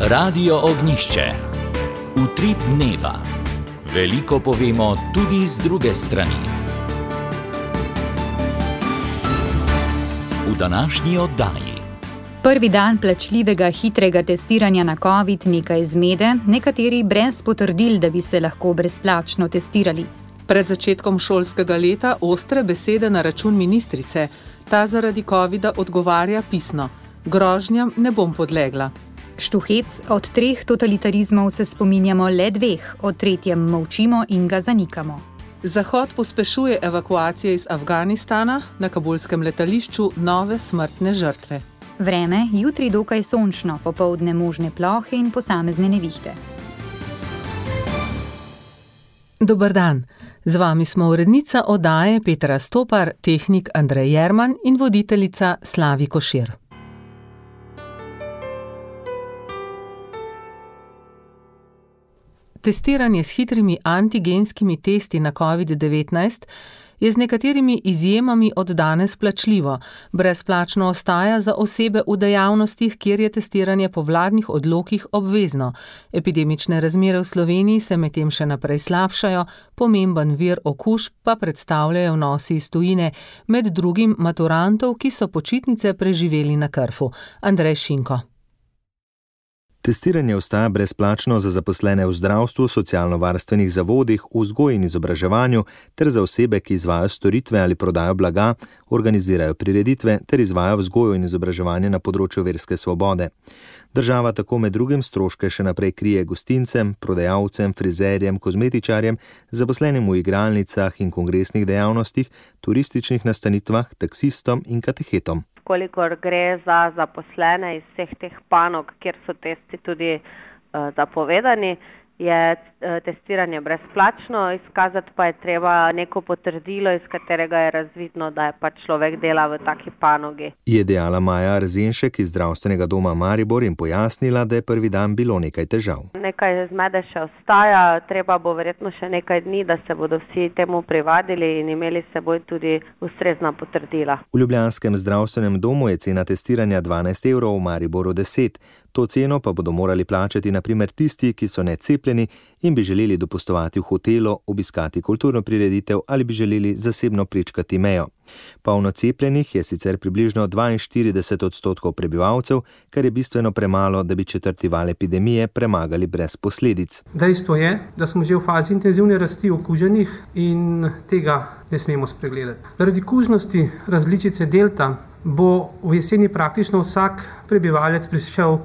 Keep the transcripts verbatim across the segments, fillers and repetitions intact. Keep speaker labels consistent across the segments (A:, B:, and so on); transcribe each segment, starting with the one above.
A: Radio Ognjišče. Utrip dneva. Veliko povemo tudi z druge strani. V današnji oddaji.
B: Prvi dan plačljivega hitrega testiranja na COVID, nekaj zmede, nekateri brez potrdil, da bi se lahko brezplačno testirali.
C: Pred začetkom šolskega leta ostre besede na račun ministrice. Ta zaradi covida odgovarja pisno: grožnjam ne bom podlegla.
B: Štuhec, od treh totalitarizmov se spominjamo le dveh, o tretjem molčimo in ga zanikamo.
C: Zahod pospešuje evakuacije iz Afganistana, na kabulskem letališču nove smrtne žrtve.
B: Vreme, jutri dokaj sončno, popoldne možne plohe in posamezne nevihte.
C: Dober dan, z vami smo urednica oddaje Petra Stopar, tehnik Andrej Jerman in voditeljica Slavi Košir. Testiranje s hitrimi antigenskimi testi na covid devetnajst je z nekaterimi izjemami od danes plačljivo. Brezplačno ostaja za osebe v dejavnostih, kjer je testiranje po vladnih odlokih obvezno. Epidemične razmere v Sloveniji se medtem še naprej slabšajo, pomemben vir okužb pa predstavljajo vnosi iz tujine, med drugim maturantov, ki so počitnice preživeli na Krfu. Andrej Šinko.
D: Testiranje ostaja brezplačno za zaposlene v zdravstvu, socialno-varstvenih zavodih, vzgoji in izobraževanju ter za osebe, ki izvajajo storitve ali prodajo blaga, organizirajo prireditve ter izvajajo vzgojo in izobraževanje na področju verske svobode. Država tako med drugim stroške še naprej krije gostincem, prodajalcem, frizerjem, kozmetičarjem, zaposlenim v igralnicah in kongresnih dejavnostih, turističnih nastanitvah, taksistom in katehetom.
E: Kolikor gre za zaposlene iz vseh teh panog, kjer so testi tudi uh, zapovedani, je uh, testiranje brezplačno, izkazati pa je treba neko potrdilo, iz katerega je razvidno, da je pač človek dela v taki panogi.
D: Je dejala Maja Arzenšek iz zdravstvenega doma Maribor in pojasnila, da je prvi dan bilo nekaj težav.
E: Nekaj zmede še ostaja, treba bo verjetno še nekaj dni, da se bodo vsi temu privadili in imeli s seboj tudi ustrezna potrdila.
D: V ljubljanskem zdravstvenem domu je cena testiranja dvanajst evrov, v Mariboru deset. To ceno pa bodo morali plačati na primer tisti, ki so necepljeni in bi želeli dopustovati v hotelu, obiskati kulturno prireditev ali bi želeli zasebno prečkati mejo. Polno cepljenih je sicer približno dvainštirideset odstotkov prebivalcev, kar je bistveno premalo, da bi četrti val epidemije premagali brez posledic.
F: Dejstvo je, da smo že v fazi intenzivne rasti okuženih in tega ne smemo spregledati. Zaradi kužnosti različice delta bo v jeseni praktično vsak prebivalec prišel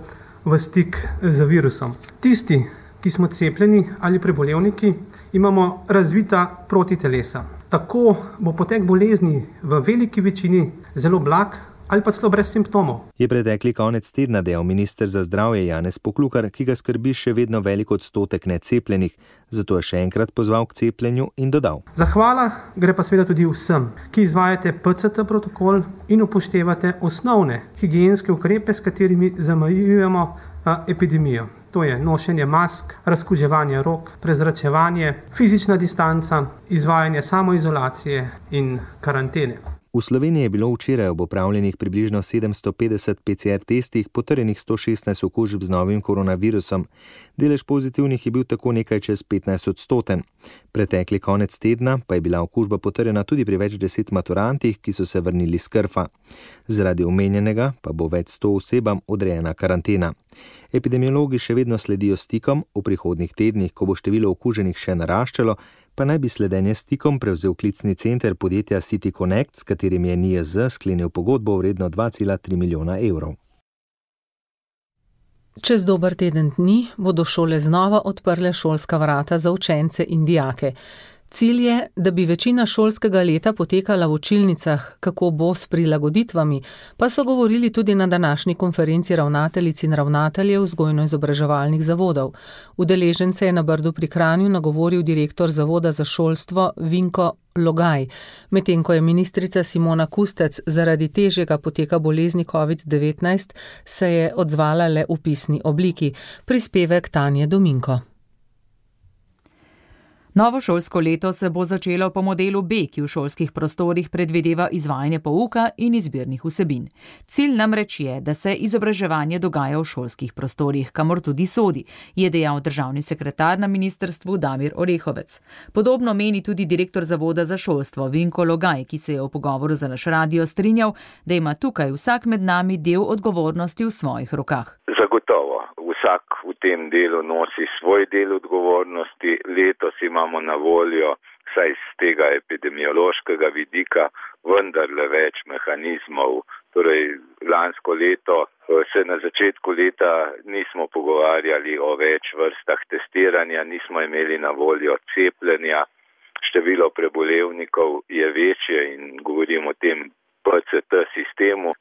F: v stik z virusom. Tisti, ki smo cepljeni ali prebolevniki, imamo razvita protitelesa. Tako bo potek bolezni v veliki večini zelo blag ali pa celo brez simptomov.
D: Je pretekli konec tedna dejal minister za zdravje Janez Poklukar, ki ga skrbi še vedno velik odstotek necepljenih, zato je še enkrat pozval k cepljenju in dodal:
F: Zahvala gre pa seveda tudi vsem, ki izvajate P C T protokol in upoštevate osnovne higienske ukrepe, s katerimi zamejujemo epidemijo. To je nošenje mask, razkuževanje rok, prezračevanje, fizična distanca, izvajanje samoizolacije in karantene.
D: V Sloveniji je bilo včeraj ob opravljenih približno sedemsto petdeset P C R testih potrjenih sto šestnajst okužb z novim koronavirusom. Delež pozitivnih je bil tako nekaj čez petnajst odstoten. Pretekli konec tedna pa je bila okužba potrjena tudi pri več deset maturantih, ki so se vrnili s Krfa. Zaradi omenjenega pa bo več sto osebam odrejena karantena. Epidemiologi še vedno sledijo stikom, v prihodnjih tednih, ko bo število okuženih še naraščalo, pa naj bi sledenje stikom prevzel klicni center podjetja City Connect, s katerim je N I J Z sklenil pogodbo vredno dva cela tri milijona evrov.
C: Čez dober teden dni bodo šole znova odprle šolska vrata za učence in dijake. Cilj je, da bi večina šolskega leta potekala v učilnicah, kako bo s prilagoditvami, pa so govorili tudi na današnji konferenci ravnateljic in ravnateljev vzgojno-izobraževalnih zavodov. Udeležence je na Brdu pri Kranju nagovoril direktor Zavoda za šolstvo Vinko Logaj, medtem ko je ministrica Simona Kustec zaradi težjega poteka bolezni covid devetnajst se je odzvala le v pisni obliki. Prispevek Tanje Dominko.
G: Novo šolsko leto se bo začelo po modelu B, ki v šolskih prostorih predvideva izvajanje pouka in izbirnih vsebin. Cilj namreč je, da se izobraževanje dogaja v šolskih prostorih, kamor tudi sodi, je dejal državni sekretar na ministrstvu Damir Orehovec. Podobno meni tudi direktor Zavoda za šolstvo Vinko Logaj, ki se je v pogovoru za naš radio strinjal, da ima tukaj vsak med nami del odgovornosti v svojih rokah.
H: Zagotovo. Vsak v tem delu nosi svoj del odgovornosti. Letos imamo na voljo, saj z tega epidemiološkega vidika, vendarle več mehanizmov. Torej, lansko leto se na začetku leta nismo pogovarjali o več vrstah testiranja, nismo imeli na voljo cepljenja. Število prebolevnikov je večje in govorimo o tem P C T sistemu.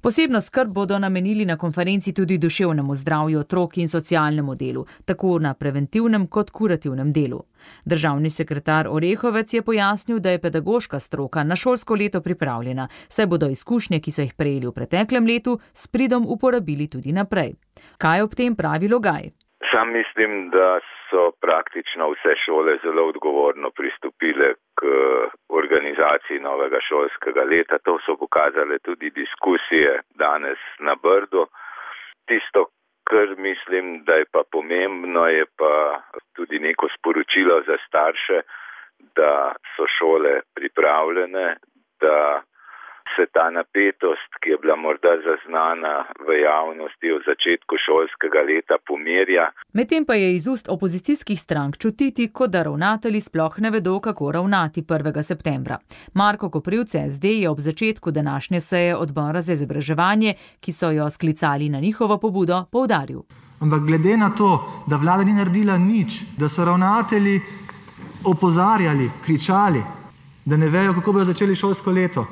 G: Posebno skrb bodo namenili na konferenci tudi duševnemu zdravju otrok in socialnemu delu, tako na preventivnem kot kurativnem delu. Državni sekretar Orehovec je pojasnil, da je pedagoška stroka na šolsko leto pripravljena, saj bodo izkušnje, ki so jih prejeli v preteklem letu, s pridom uporabili tudi naprej. Kaj ob tem pravi Logaj?
H: Sam mislim, da so praktično vse šole zelo odgovorno pristopile k organizaciji novega šolskega leta. To so pokazale tudi diskusije danes na Brdu. Tisto, kar mislim, da je pa pomembno, je pa tudi neko sporočilo za starše, da so šole pripravljene, da se ta napetost, ki je bila morda zaznana v javnosti v začetku šolskega leta, pomirja.
G: Medtem pa je iz ust opozicijskih strank čutiti, kot da ravnatelji sploh ne vedo, kako ravnati prvega septembra. Marko Koprivc S D je ob začetku današnje seje odbora za izobraževanje, ki so jo sklicali na njihovo pobudo, poudaril.
I: Ampak glede na to, da vlada ni naredila nič, da so ravnatelji opozarjali, kričali, da ne vejo, kako bodo začeli šolsko leto,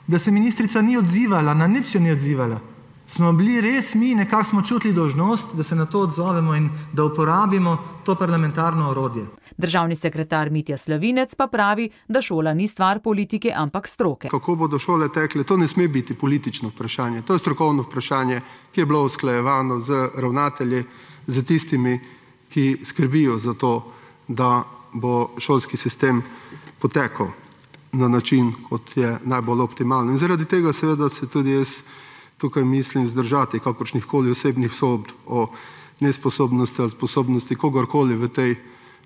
I: da se ministrica ni odzivala, na nič se ni odzivala. Smo bili res mi, nekako smo čutili dolžnost, da se na to odzovemo in da uporabimo to parlamentarno orodje.
G: Državni sekretar Mitja Slavinec pa pravi, da šola ni stvar politike, ampak stroke.
J: Kako bodo šole tekle, to ne sme biti politično vprašanje. To je strokovno vprašanje, ki je bilo usklajevano z ravnatelji, z tistimi, ki skrbijo za to, da bo šolski sistem potekal na način, kot je najbolj optimalno. In zaradi tega seveda se tudi jaz tukaj mislim zdržati kakršnihkoli osebnih sodb o nesposobnosti ali sposobnosti kogarkoli v tej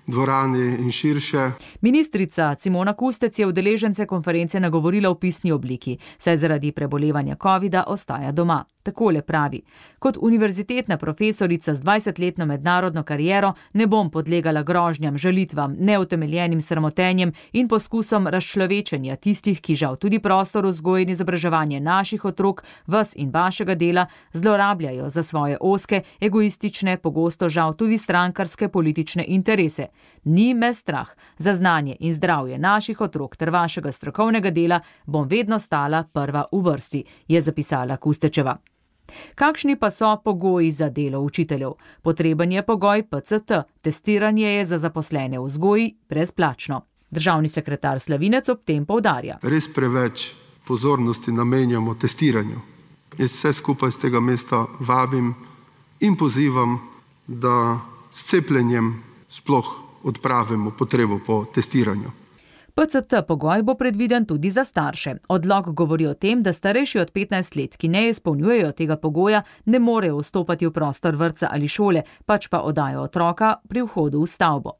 J: dvorani in širše.
G: Ministrica Simona Kustec je udeležence konference nagovorila v pisni obliki, saj zaradi prebolevanja covida ostaja doma. Takole pravi: kot univerzitetna profesorica z dvajsetletno mednarodno kariero ne bom podlegala grožnjam, žalitvam, neutemeljenim sramotenjem in poskusom razčlovečenja tistih, ki žal tudi prostor vzgoje in izobraževanje naših otrok, vas in vašega dela zlorabljajo za svoje ozke, egoistične, pogosto žal tudi strankarske politične interese. Ni me strah. Za znanje in zdravje naših otrok ter vašega strokovnega dela bom vedno stala prva v vrsti, je zapisala Kustečeva. Kakšni pa so pogoji za delo učiteljev? Potreben je pogoj P C T. Testiranje je za zaposlene v vzgoji brezplačno. Državni sekretar Slavinec ob tem poudarja.
J: Res preveč pozornosti namenjamo testiranju. Jaz vse skupaj z tega mesta vabim in pozivam, da s cepljenjem sploh odpravimo potrebo po testiranju.
G: P C T pogoj bo predviden tudi za starše. Odlok govori o tem, da starejši od petnajst let, ki ne izpolnjujejo tega pogoja, ne morejo vstopati v prostor vrtca ali šole, pač pa oddajo otroka pri vhodu v stavbo.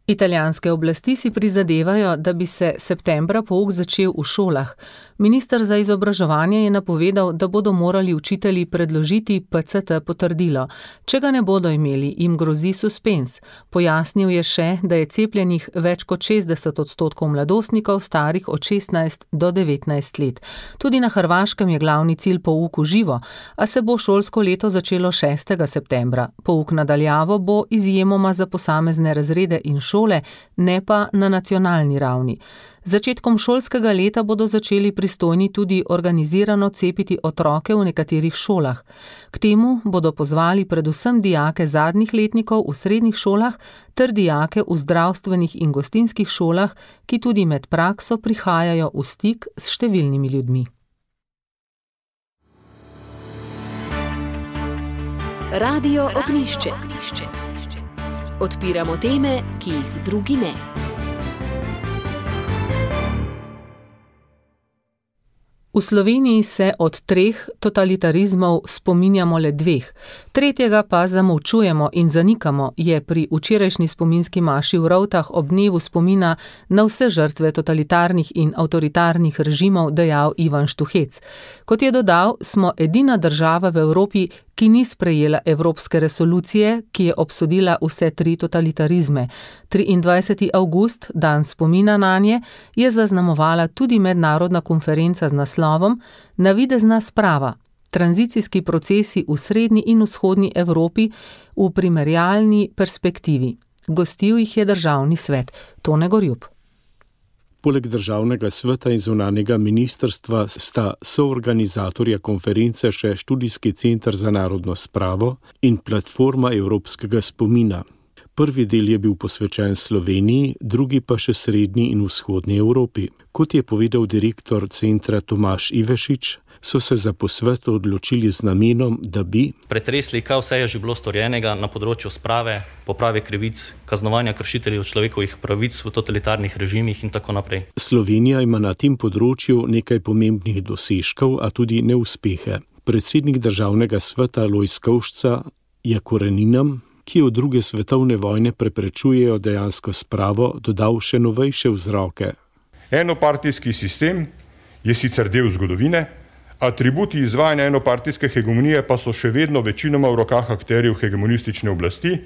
C: Italijanske oblasti si prizadevajo, da bi se septembra pouk začel v šolah. Minister za izobraževanje je napovedal, da bodo morali učitelji predložiti P C T potrdilo. Če ga ne bodo imeli, jim grozi suspens. Pojasnil je še, da je cepljenih več kot šestdeset odstotkov mladostnikov starih od šestnajst do devetnajst let. Tudi na Hrvaškem je glavni cilj pouk v živo, a se bo šolsko leto začelo šestega septembra. Pouk na daljavo bo izjemoma za posamezne razrede in šole, ne pa na nacionalni ravni. Z začetkom šolskega leta bodo začeli pristojni tudi organizirano cepiti otroke v nekaterih šolah. K temu bodo pozvali predvsem dijake zadnjih letnikov v srednjih šolah ter dijake v zdravstvenih in gostinskih šolah, ki tudi med prakso prihajajo v stik s številnimi ljudmi.
B: Radio Ognjišče.
K: Odpiramo teme, ki jih drugi ne.
C: V Sloveniji se od treh totalitarizmov spominjamo le dveh, tretjega pa zamolčujemo in zanikamo, je pri včerajšnji spominski maši v Rovtah ob dnevu spomina na vse žrtve totalitarnih in avtoritarnih režimov dejal Ivan Štuhec. Kot je dodal, smo edina država v Evropi, ki ni sprejela evropske resolucije, ki je obsodila vse tri totalitarizme. triindvajseti avgust, dan spomina nanje, je zaznamovala tudi mednarodna konferenca z naslovom Navidezna sprava. Tranzicijski procesi v srednji in vzhodni Evropi v primerjalni perspektivi. Gostil jih je državni svet. Tone Gorjup.
L: Poleg državnega sveta in zunanjega ministrstva sta soorganizatorja konference še Študijski center za narodno spravo in platforma evropskega spomina. Prvi del je bil posvečen Sloveniji, drugi pa še srednji in vzhodni Evropi. Kot je povedal direktor centra Tomaž Ivešič, so se za posvet odločili z namenom, da bi
M: pretresli, kaj vse je že bilo storjenega na področju sprave, poprave krivic, kaznovanja kršiteljev človekovih pravic v totalitarnih režimih in tako naprej.
L: Slovenija ima na tem področju nekaj pomembnih dosežkov, a tudi neuspehe. Predsednik državnega sveta Lojz Kovšca je koreninam, ki od druge svetovne vojne preprečujejo dejansko spravo, dodal še novejše vzroke.
N: Enopartijski sistem je sicer del zgodovine, atributi izvajanja enopartijske hegemonije pa so še vedno večinoma v rokah akterjev hegemonistične oblasti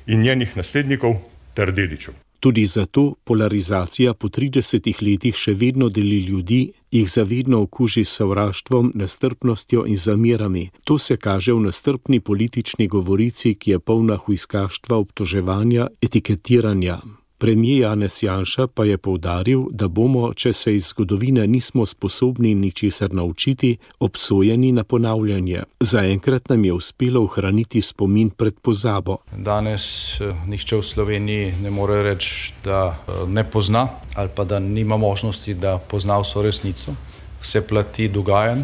N: in njenih naslednikov ter dedičev.
L: Tudi zato polarizacija po tridesetih letih še vedno deli ljudi, jih zavedno okuži s sovraštvom, nestrpnostjo in zamerami. To se kaže v nestrpni politični govorici, ki je polna hujskaštva, obtoževanja, etiketiranja. Premier Janez Janša pa je poudaril, da bomo, če se iz zgodovine nismo sposobni ničesar naučiti, obsojeni na ponavljanje. Zaenkrat nam je uspelo ohraniti spomin pred pozabo.
O: Danes nihče v Sloveniji ne more reči, da ne pozna ali pa da nima možnosti, da pozna vso resnico. Vse plati dogajanj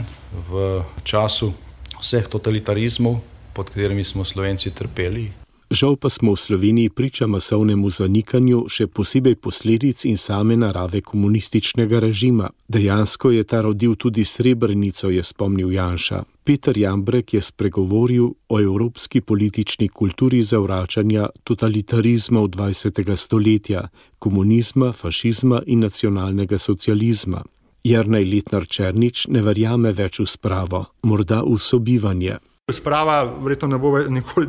O: v času vseh totalitarizmov, pod katerimi smo Slovenci trpeli.
L: Žal pa smo v Sloveniji priča masovnemu zanikanju, še posebej posledic in same narave komunističnega režima. Dejansko je ta rodil tudi Srebrenico, je spomnil Janša. Peter Jambrek je spregovoril o evropski politični kulturi zavračanja totalitarizmov dvajsetega stoletja, komunizma, fašizma in nacionalnega socializma. Jernej Letnar Černič ne verjame več v spravo, morda v sobivanje.
P: Sprava verjetno ne bo nikoli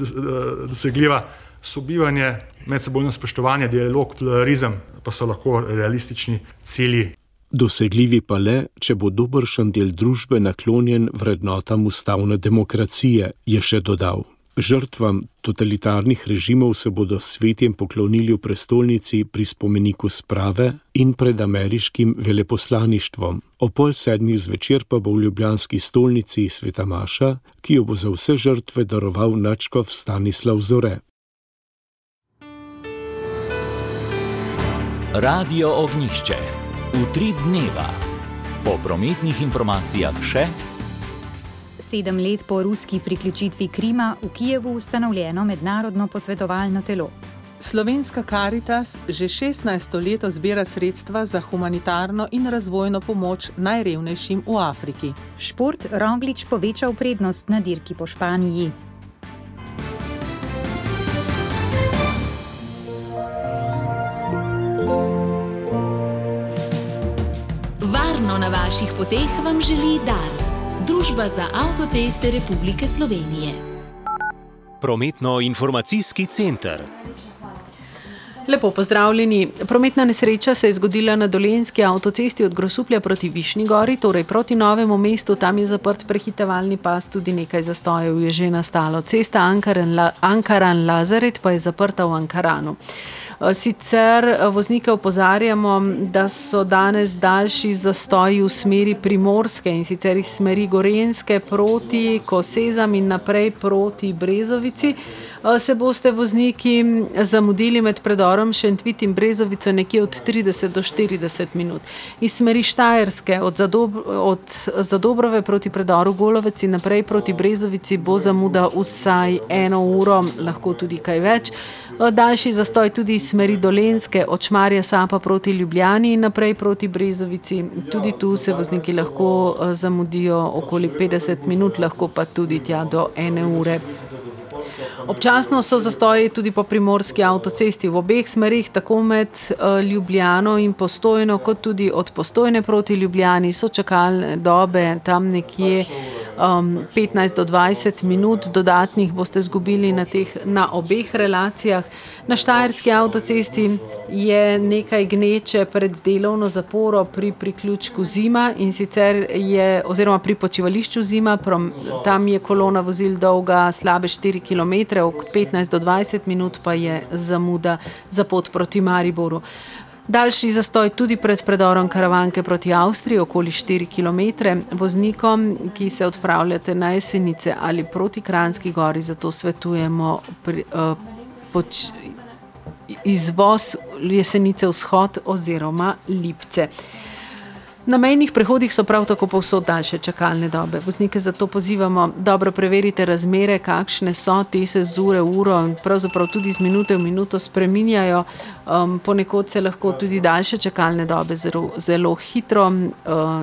P: dosegljiva. Sobivanje, medsebojno spoštovanje, dialog, pluralizem pa so lahko realistični cilji.
L: Dosegljivi pa le, če bo dobršen del družbe naklonjen vrednotam ustavne demokracije, je še dodal. Žrtvam totalitarnih režimov se bodo svetjem poklonili v prestolnici pri spomeniku sprave in pred ameriškim veleposlaništvom. O pol sedmih zvečer pa bo v ljubljanski stolnici Sveta Maša, ki jo bo za vse žrtve daroval nadškof Stanislav Zore.
A: Radio Ognjišče. Utrip dneva. Po prometnih informacijah še
B: Sedem let po ruski priključitvi Krima v Kijevu ustanovljeno mednarodno posvetovalno telo.
C: Slovenska Karitas že šestnajsto leto zbira sredstva za humanitarno in razvojno pomoč najrevnejšim v Afriki.
B: Šport Roglič povečal prednost na dirki po Španiji.
K: Varno na vaših poteh vam želi Dars. Družba za avtoceste Republike Slovenije.
Q: Prometno-informacijski center.
R: Lepo pozdravljeni. Prometna nesreča se je zgodila na Dolenjski avtocesti od Grosuplja proti Višnji Gori, torej proti Novemu mestu. Tam je zaprt prehitevalni pas, tudi nekaj zastojev je že nastalo. Cesta Ankaran-Lazaret pa je zaprta v Ankaranu. Sicer voznike opozarjamo, da so danes daljši zastoji v smeri Primorske in sicer iz smeri Gorenjske proti Kosezam in naprej proti Brezovici. se boste vozniki zamudili med predorom Šentvit in Brezovico nekje od trideset do štirideset minut. Iz smeri Štajerske od, Zadob od Zadobrove proti predoru Golovec in naprej proti Brezovici bo zamuda vsaj eno uro, lahko tudi kaj več. Daljši zastoj tudi iz smeri Dolenjske od Šmarja Sapa proti Ljubljani in naprej proti Brezovici. Tudi tu se vozniki lahko zamudijo okoli petdeset minut, lahko pa tudi tja do ene ure. Občasno so zastoji tudi po primorski avtocesti v obeh smerih, tako med Ljubljano in Postojno, kot tudi od Postojne proti Ljubljani so čakalne dobe tam nekje um, petnajst do dvajset minut, dodatnih boste zgubili na, teh, na obeh relacijah. Na Štajerski avtocesti je nekaj gneče pred delovno zaporo pri priključku Zima in sicer je, oziroma pri počivališču Zima, tam je kolona vozil dolga slabe štiri kilometre, od petnajst do dvajset minut pa je zamuda za pot proti Mariboru. Daljši zastoj tudi pred predorom Karavanke proti Avstriji, okoli štiri kilometre. Voznikom, ki se odpravljate na Jesenice ali proti Kranjski gori, zato svetujemo pri, uh, poč, izvoz Jesenice vzhod oziroma Lipce. Na mejnih prehodih so prav tako povsod daljše čakalne dobe. Voznike zato pozivamo, dobro preverite razmere, kakšne so, te se z ure v uro, pravzaprav tudi z minute v minuto spreminjajo. Um, ponekod se lahko tudi daljše čakalne dobe zelo, zelo hitro uh,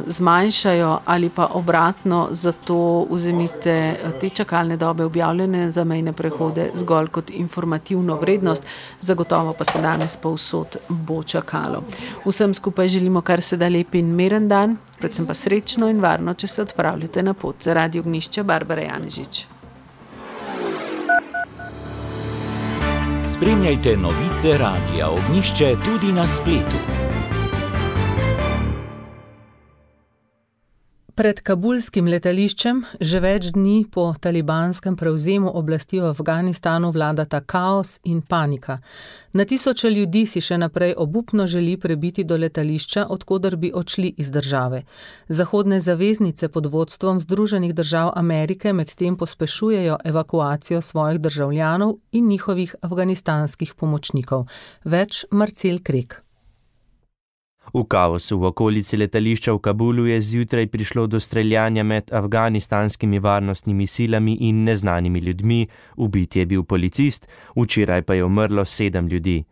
R: zmanjšajo ali pa obratno, zato vzemite te čakalne dobe objavljene za mejne prehode zgolj kot informativno vrednost, zagotovo pa se danes povsod bo čakalo. Vsem skupaj želimo kar se da lep in miren dan, predvsem pa srečno in varno, če se odpravljate na pot. Za Radio Ognjišče, Barbara Janežič.
A: Spremljajte novice Radia Ognjišče tudi na spletu.
C: Pred kabulskim letališčem že več dni po talibanskem prevzemu oblasti v Afganistanu vladata kaos in panika. Na tisoče ljudi si še naprej obupno želi prebiti do letališča, odkoder bi odšli iz države. Zahodne zaveznice pod vodstvom Združenih držav Amerike medtem pospešujejo evakuacijo svojih državljanov in njihovih afganistanskih pomočnikov. Več Marcel Krek.
Q: V kaosu v okolici letališča v Kabulu je zjutraj prišlo do streljanja med afganistanskimi varnostnimi silami in neznanimi ljudmi, ubit je bil policist, včeraj pa je umrlo sedem ljudi.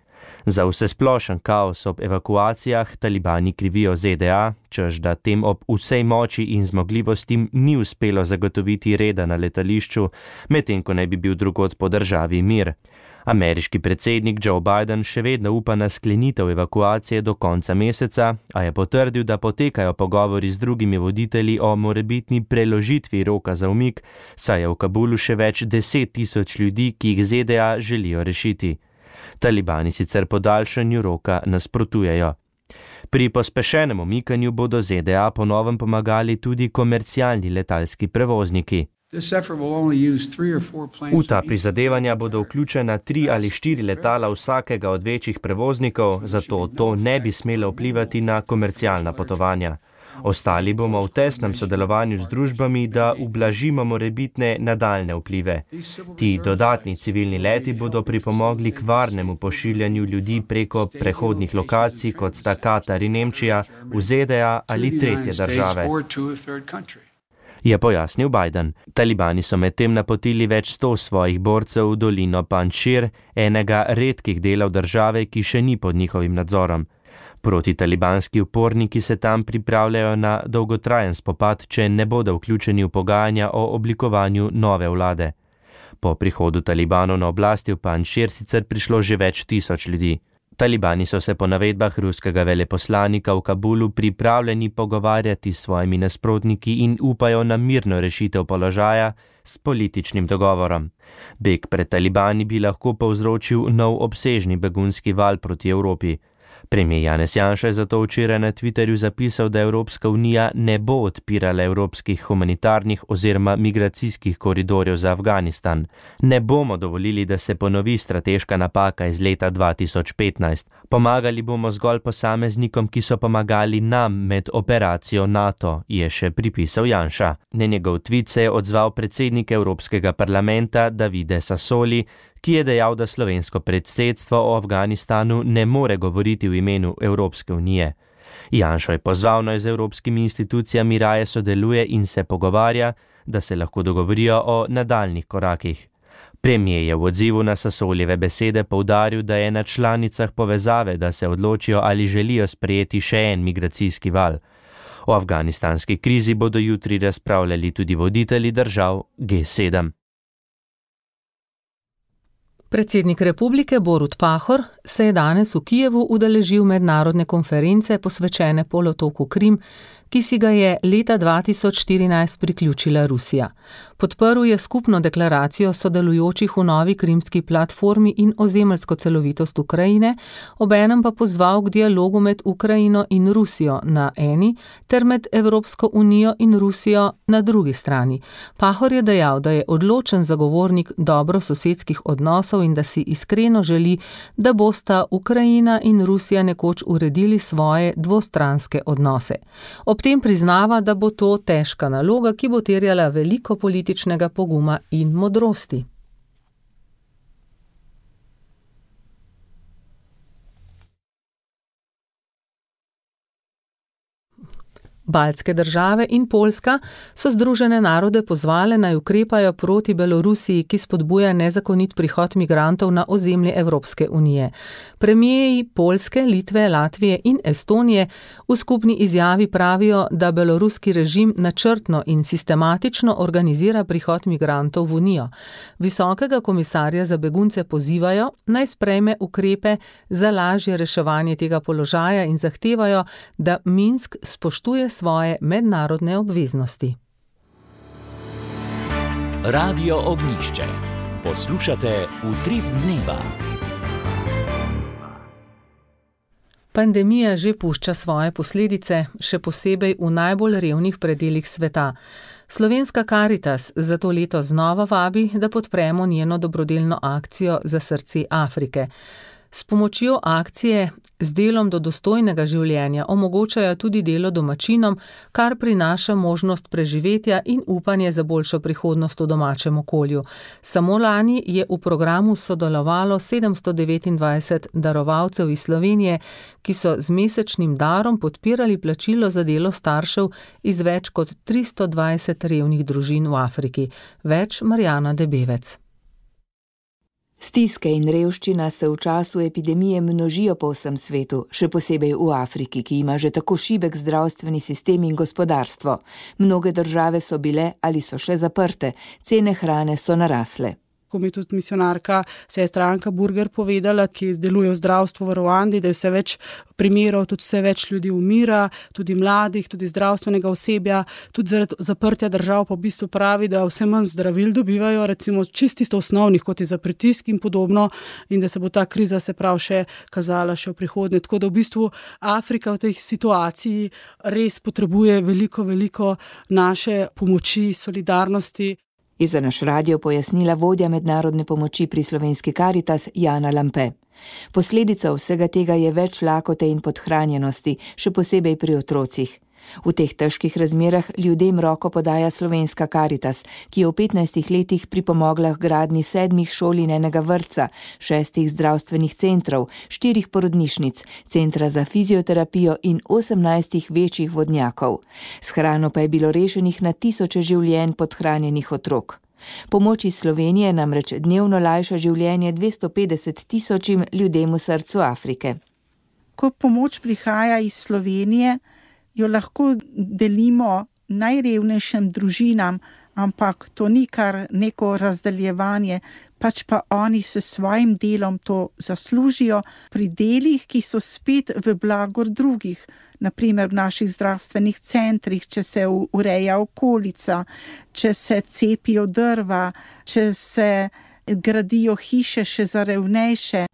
Q: Za vsesplošen kaos ob evakuacijah talibani krivijo Z D A, češ da tem ob vsej moči in zmogljivosti ni uspelo zagotoviti reda na letališču, medtem ko naj bi bil drugod po državi mir. Ameriški predsednik Joe Biden še vedno upa na sklenitev evakuacije do konca meseca, a je potrdil, da potekajo pogovori z drugimi voditelji o morebitni preložitvi roka za umik, saj je v Kabulu še več deset tisoč ljudi, ki jih Z D A želijo rešiti. Talibani sicer podaljšanju roka nasprotujejo. Pri pospešenem umikanju bodo Z D A po novem pomagali tudi komercialni letalski prevozniki. V ta prizadevanja bodo vključena tri ali štiri letala vsakega od večjih prevoznikov, zato to ne bi smelo vplivati na komercialna potovanja. Ostali bomo v tesnem sodelovanju z družbami, da ublažimo morebitne nadaljne vplive. Ti dodatni civilni leti bodo pripomogli k varnemu pošiljanju ljudi preko prehodnih lokacij, kot sta Katar in Nemčija, v Z D A ali tretje države. Je pojasnil Biden. Talibani so medtem napotili več sto svojih borcev v dolino Panjšir, enega redkih delov države, ki še ni pod njihovim nadzorom. Protitalibanski uporniki se tam pripravljajo na dolgotrajen spopad, če ne bodo vključeni v pogajanja o oblikovanju nove vlade. Po prihodu talibanov na oblasti v Panjšir sicer prišlo že več tisoč ljudi. Talibani so se po navedbah ruskega veleposlanika v Kabulu pripravljeni pogovarjati s svojimi nasprotniki in upajo na mirno rešitev položaja s političnim dogovorom. Beg pred talibani bi lahko povzročil nov obsežni begunski val proti Evropi. Premijer Janez Janša je zato včeraj na Twitterju zapisal, da Evropska unija ne bo odpirala evropskih humanitarnih oziroma migracijskih koridorjev za Afganistan. Ne bomo dovolili, da se ponovi strateška napaka iz leta dva tisoč petnajst. Pomagali bomo zgolj posameznikom, ki so pomagali nam med operacijo NATO, je še pripisal Janša. Na njegov tweet se je odzval predsednik Evropskega parlamenta Davide Sassoli, ki je dejal, da slovensko predsedstvo o Afganistanu ne more govoriti v imenu Evropske unije. Janšo je pozval, naj z evropskimi institucijami raje sodeluje in se pogovarja, da se lahko dogovorijo o nadaljnih korakih. Premijer je v odzivu na Sasoljeve besede poudaril, da je na članicah povezave, da se odločijo, ali želijo sprejeti še en migracijski val. O afganistanski krizi bodo jutri razpravljali tudi voditelji držav G sedem.
C: Predsednik republike Borut Pahor se je danes v Kijevu udeležil mednarodne konference posvečene polotoku Krim, ki si ga je leta dva tisoč štirinajst priključila Rusija. Podprl je skupno deklaracijo sodelujočih v novi krimski platformi in ozemeljsko celovitost Ukrajine, obenem pa pozval k dialogu med Ukrajino in Rusijo na eni ter med Evropsko unijo in Rusijo na drugi strani. Pahor je dejal, da je odločen zagovornik dobrososedskih odnosov in da si iskreno želi, da bosta Ukrajina in Rusija nekoč uredili svoje dvostranske odnose. Ob tem priznava, da bo to težka naloga, ki bo terjala veliko političnega poguma in modrosti. Baltske države in Poljska so Združene narode pozvale, naj ukrepajo proti Belorusiji, ki spodbuja nezakonit prihod migrantov na ozemlje Evropske unije. Premijeji Poljske, Litve, Latvije in Estonije v skupni izjavi pravijo, da beloruski režim načrtno in sistematično organizira prihod migrantov v unijo. Visokega komisarja za begunce pozivajo, naj sprejme ukrepe za lažje reševanje tega položaja in zahtevajo, da Minsk spoštuje svoje mednarodne obveznosti.
A: Radio Ognjišče. Poslušate Utrip dneva.
C: Pandemija že pušča svoje posledice, še posebej v najbolj revnih predelih sveta. Slovenska Karitas zato leto znova vabi, da podpremo njeno dobrodelno akcijo za srce Afrike. S pomočjo akcije z delom do dostojnega življenja omogočajo tudi delo domačinom, kar prinaša možnost preživetja in upanje za boljšo prihodnost v domačem okolju. Samo lani je v programu sodelovalo sedemsto devetindvajset darovalcev iz Slovenije, ki so z mesečnim darom podpirali plačilo za delo staršev iz več kot tristo dvajset revnih družin v Afriki. Več Marjana Debevec.
S: Stiske in revščina se v času epidemije množijo po vsem svetu, še posebej v Afriki, ki ima že tako šibek zdravstveni sistem in gospodarstvo. Mnoge države so bile ali so še zaprte, cene hrane so narasle.
T: Ko mi je tudi misionarka, sestra Anka Burger povedala, ki deluje v zdravstvu v Ruandi, da je vse več primerov, tudi vse več ljudi umira, tudi mladih, tudi zdravstvenega osebja, tudi zaradi zaprtja držav pa v bistvu pravi, da vse manj zdravil dobivajo, recimo čisto osnovnih, kot je za pritisk in podobno, in da se bo ta kriza se prav še kazala še v prihodnje. Tako da v bistvu Afrika v tej situaciji res potrebuje veliko, veliko naše pomoči, solidarnosti.
S: Je za naš radio pojasnila vodja mednarodne pomoči pri Slovenski Karitas Jana Lampe. Posledica vsega tega je več lakote in podhranjenosti, še posebej pri otrocih. V teh težkih razmerah ljudem roko podaja Slovenska Karitas, ki je v petnajstih letih pripomogla k gradnji sedmih šol in enega vrtca, šestih zdravstvenih centrov, štirih porodnišnic, centra za fizioterapijo in osemnajstih večjih vodnjakov. S hrano pa je bilo rešenih na tisoče življenj podhranjenih otrok. Pomoč iz Slovenije namreč dnevno lajša življenje dvesto petdeset tisočim ljudem v srcu Afrike.
U: Ko pomoč prihaja iz Slovenije, jo lahko delimo najrevnejšim družinam, ampak to ni kar neko razdeljevanje, pač pa oni s svojim delom to zaslužijo pri delih, ki so spet v blagor drugih. Naprimer v naših zdravstvenih centrih, če se ureja okolica, če se cepijo drva, če se gradijo hiše še za revnejše.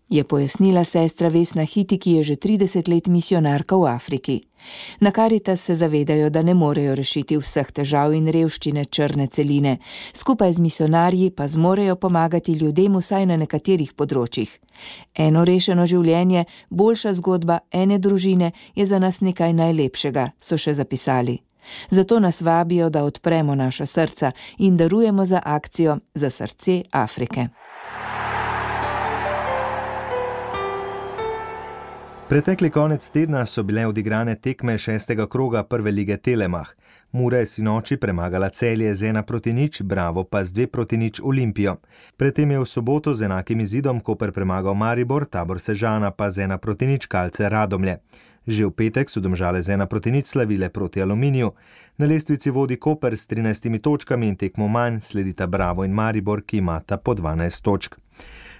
S: Je pojasnila sestra Vesna Hiti, ki je že trideset let misionarka v Afriki. Na Karitas se zavedajo, da ne morejo rešiti vseh težav in revščine črne celine, skupaj z misionarji pa zmorejo pomagati ljudem vsaj na nekaterih področjih. Eno rešeno življenje, boljša zgodba ene družine je za nas nekaj najlepšega, so še zapisali. Zato nas vabijo, da odpremo naša srca in darujemo za akcijo za srce Afrike.
D: Pretekli konec tedna so bile odigrane tekme šestega kroga prve lige Telemach. Mura je sinoči premagala Celje z ena proti nič, Bravo pa z dve proti nič Olimpijo. Predtem je v soboto z enakim izidom Koper premagal Maribor, Tabor Sežana pa z ena proti nič Kalce Radomlje. Že v petek so Domžale z ena proti nič slavile proti Aluminiju. Na lestvici vodi Koper s trinajstimi točkami in tekmo manj sledita Bravo in Maribor, ki imata po dvanajst točk.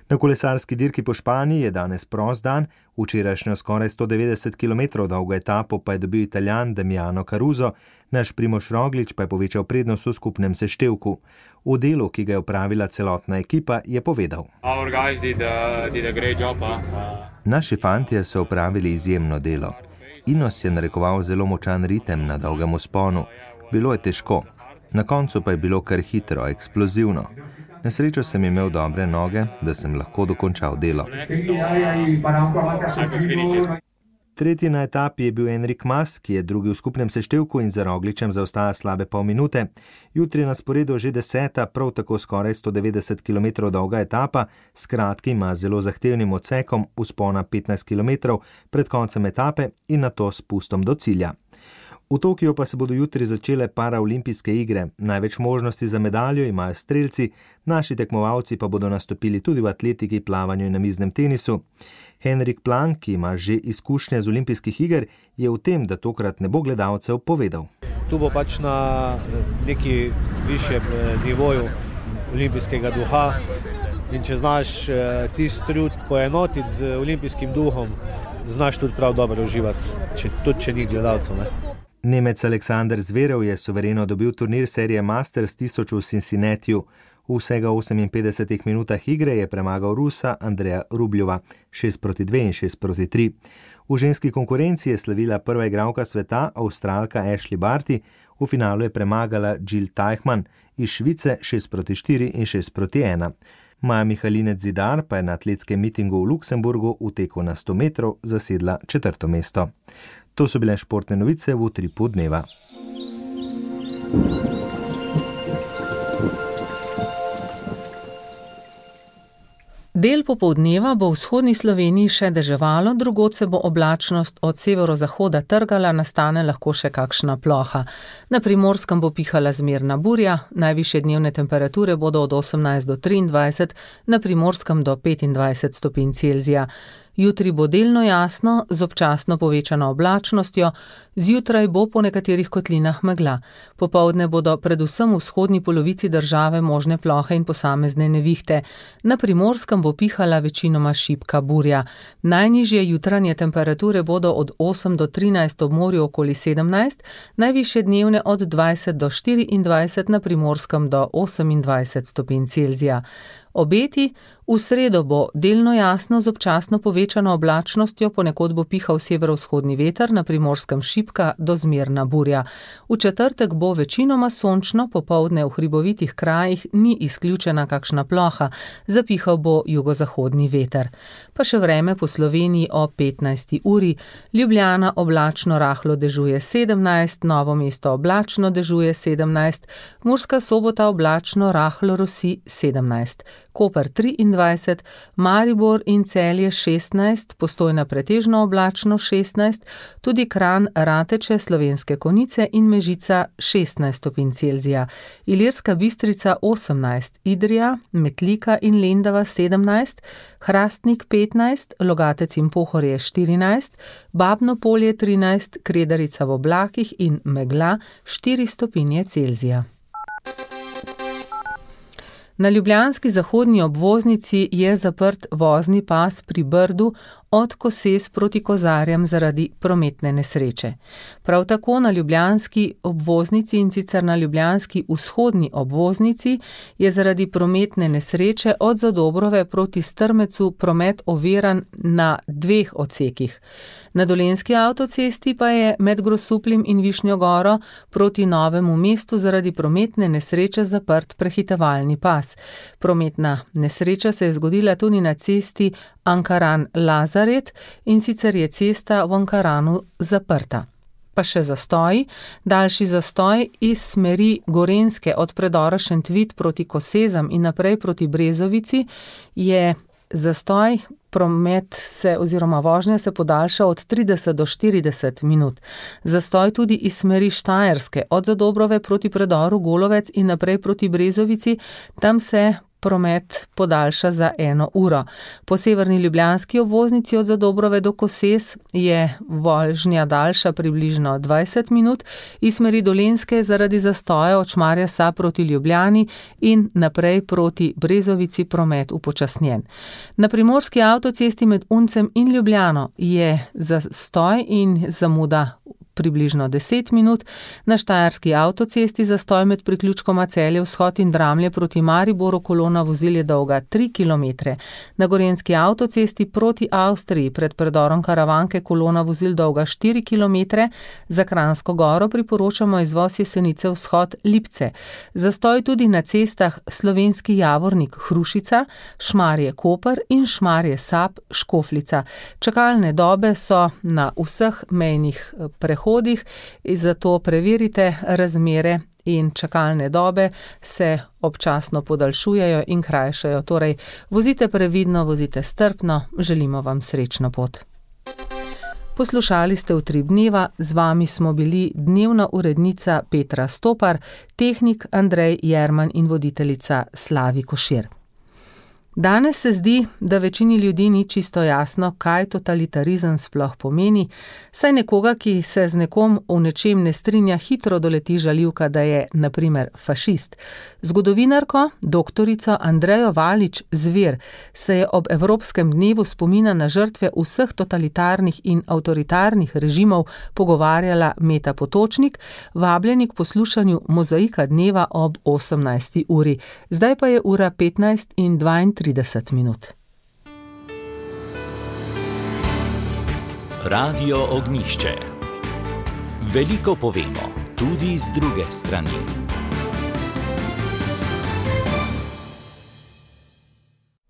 D: Na kolesarski dirki po Španiji je danes prost dan, včerajšnjo skoraj sto devetdeset kilometrov dolgo etapo pa je dobil Italijan Damiano Caruso, naš Primož Roglič pa je povečal prednost v skupnem seštevku. V delu, ki ga je opravila celotna ekipa, je povedal:
E: did, uh, did job, uh.
D: Naši fantje so opravili izjemno delo. Inos je narekoval zelo močan ritem na dolgem vzponu. Bilo je težko. Na koncu pa je bilo kar hitro, eksplozivno. Na srečo sem imel dobre noge, da sem lahko dokončal delo. Tretji na etapi je bil Enric Mas, ki je drugi v skupnem seštevku in za Rogličem zaostaja slabe pol minute. Jutri je na sporedu že deseta, prav tako skoraj sto devetdeset kilometrov dolga etapa, s kratkim, a zelo zahtevnim odsekom vzpona petnajst kilometrov pred koncem etape in nato s spustom do cilja. V Tokiu pa se bodo jutri začele paraolimpijske igre. Največ možnosti za medaljo imajo strelci, naši tekmovalci pa bodo nastopili tudi v atletiki, plavanju in namiznem tenisu. Henrik Plank, ki ima že izkušnje z olimpijskih iger, je v tem, da tokrat ne bo gledalcev, povedal:
V: Tu bo pač na neki višjem nivoju olimpijskega duha in če znaš tisti trud poenotiti z olimpijskim duhom, znaš tudi prav dobro uživati, če, tudi če ni gledalcev. Ne?
D: Nemec Aleksander Zverev je suvereno dobil turnir serije Masters tisoč v Cincinnatiju. V vsega oseminpetdesetih minutah igre je premagal Rusa Andreja Rubljova šest proti dve in šest proti tri. V ženski konkurenci je slavila prva igralka sveta, Avstralka Ashley Barty, v finalu je premagala Jill Teichmann iz Švice šest proti štiri in šest proti ena. Maja Mihalinec Zidar pa je na atletskem mitingu v Luksemburgu v teku na sto metrov zasedla četrto mesto. To so bile športne novice v Utripu dneva.
C: Del popoldneva bo v vzhodni Sloveniji še deževalo, drugod se bo oblačnost od severozahoda trgala, nastane lahko še kakšna ploha. Na Primorskem bo pihala zmerna burja, najvišje dnevne temperature bodo od osemnajst do triindvajset, na Primorskem do petindvajset stopinj Celzija. Jutri bo delno jasno, z občasno povečano oblačnostjo, zjutraj bo po nekaterih kotlinah megla. Popoldne bodo predvsem v vzhodni polovici države možne plohe in posamezne nevihte. Na Primorskem bo pihala večinoma šibka burja. Najnižje jutranje temperature bodo od osem do trinajst, ob morju okoli sedemnajst, najvišje dnevne od dvajset do štiriindvajset, na Primorskem do osemindvajset stopinj Celzija. Obeti: v sredo bo delno jasno z občasno povečano oblačnostjo, ponekod bo pihal severovzhodni veter, na Primorskem šibka do zmerna burja. V četrtek bo večinoma sončno, popoldne v hribovitih krajih ni izključena kakšna ploha, zapihal bo jugozahodni veter. Pa še vreme po Sloveniji o petnajsti uri. Ljubljana oblačno rahlo dežuje sedemnajst, Novo mesto oblačno dežuje sedemnajst, Murska Sobota oblačno rahlo rosi sedemnajst. Koper triindvajset, Maribor in Celje šestnajst, Postojna pretežno oblačno šestnajst, tudi Kranj, Rateče, Slovenske Konjice in Mežica šestnajst stopinj Celzija, Ilirska Bistrica osemnajst, Idrija, Metlika in Lendava sedemnajst, Hrastnik petnajst, Logatec in Pohorje štirinajst, Babno Polje trinajst, Kredarica v oblakih in megla štiri stopinje Celzija. Na ljubljanski zahodni obvoznici je zaprt vozni pas pri Brdu od Koses proti Kozarjem zaradi prometne nesreče. Prav tako na ljubljanski obvoznici, in sicer na ljubljanski vzhodni obvoznici, je zaradi prometne nesreče od Zadobrove proti Strmecu promet oviran na dveh odsekih. Na Dolenjski avtocesti pa je med Grosupljem in Višnjo Goro proti Novemu mestu zaradi prometne nesreče zaprt prehitevalni pas. Prometna nesreča se je zgodila tudi na cesti Ankaran-Lazaret, in sicer je cesta v Ankaranu zaprta. Pa še zastoji. Daljši zastoj iz smeri Gorenjske od predora Šentvid proti Kosezam in naprej proti Brezovici je zastoj promet se oziroma vožnja se podaljša od trideset do štirideset minut. Zastoj tudi iz smeri Štajerske, od Zadobrove proti predoru Golovec in naprej proti Brezovici, tam se promet podaljša za eno uro. Po severni ljubljanski obvoznici od Zadobrove do Koses je vožnja daljša približno dvajset minut, iz smeri Dolenjske zaradi zastoja od Šmarja Sap proti Ljubljani in naprej proti Brezovici promet upočasnjen. Na primorski avtocesti med Uncem in Ljubljano je zastoj in zamuda približno deset minut, na štajerski avtocesti zastoj med priključkoma Celje vzhod in Dramlje proti Mariboru, kolona vozil je dolga tri kilometre. Na gorenjski avtocesti proti Avstriji pred predorom Karavanke kolona vozil dolga štiri kilometre, za Kranjsko Goro priporočamo izvoz Jesenice vzhod Lipce. Zastoj tudi na cestah Slovenski Javornik Hrušica, Šmarje Koper in Šmarje Sap Škofljica. Čakalne dobe so na vseh mejnih prehodih, zato preverite razmere in čakalne dobe se občasno podaljšujejo in krajšajo. Torej, vozite previdno, vozite strpno, želimo vam srečno pot. Poslušali ste Utrip dneva, z vami smo bili dnevna urednica Petra Stopar, tehnik Andrej Jerman in voditeljica Slavi Košir. Danes se zdi, da večini ljudi ni čisto jasno, kaj totalitarizem sploh pomeni, saj nekoga, ki se z nekom v nečem ne strinja, hitro doleti žaljivka, da je, na primer, fašist. Zgodovinarko, doktorico Andrejo Valič Zver, se je ob Evropskem dnevu spomina na žrtve vseh totalitarnih in avtoritarnih režimov pogovarjala Meta Potočnik, vabljeni k poslušanju Mozaika dneva ob osemnajsti uri. Zdaj pa je ura petnajst in dvaintrideset minut.
A: Radio Ognjišče. Veliko povemo, tudi z druge strani.